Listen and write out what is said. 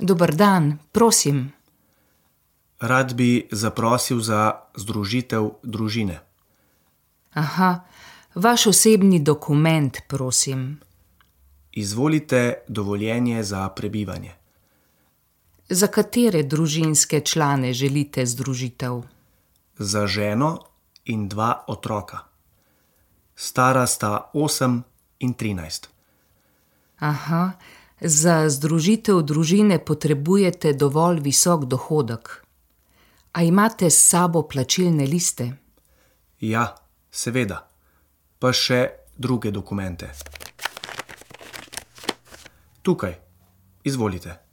Dober dan, prosim. Rad bi zaprosil za združitev družine. Aha, vaš osebni dokument, prosim. Izvolite dovoljenje za prebivanje. Za katere družinske člane želite združitev? Za ženo in 2 otroka. Stara sta 8 in 13. Aha, za združitev družine potrebujete dovolj visok dohodek. A imate s sabo plačilne liste? Ja, seveda. Pa še druge dokumente. Tukaj, izvolite.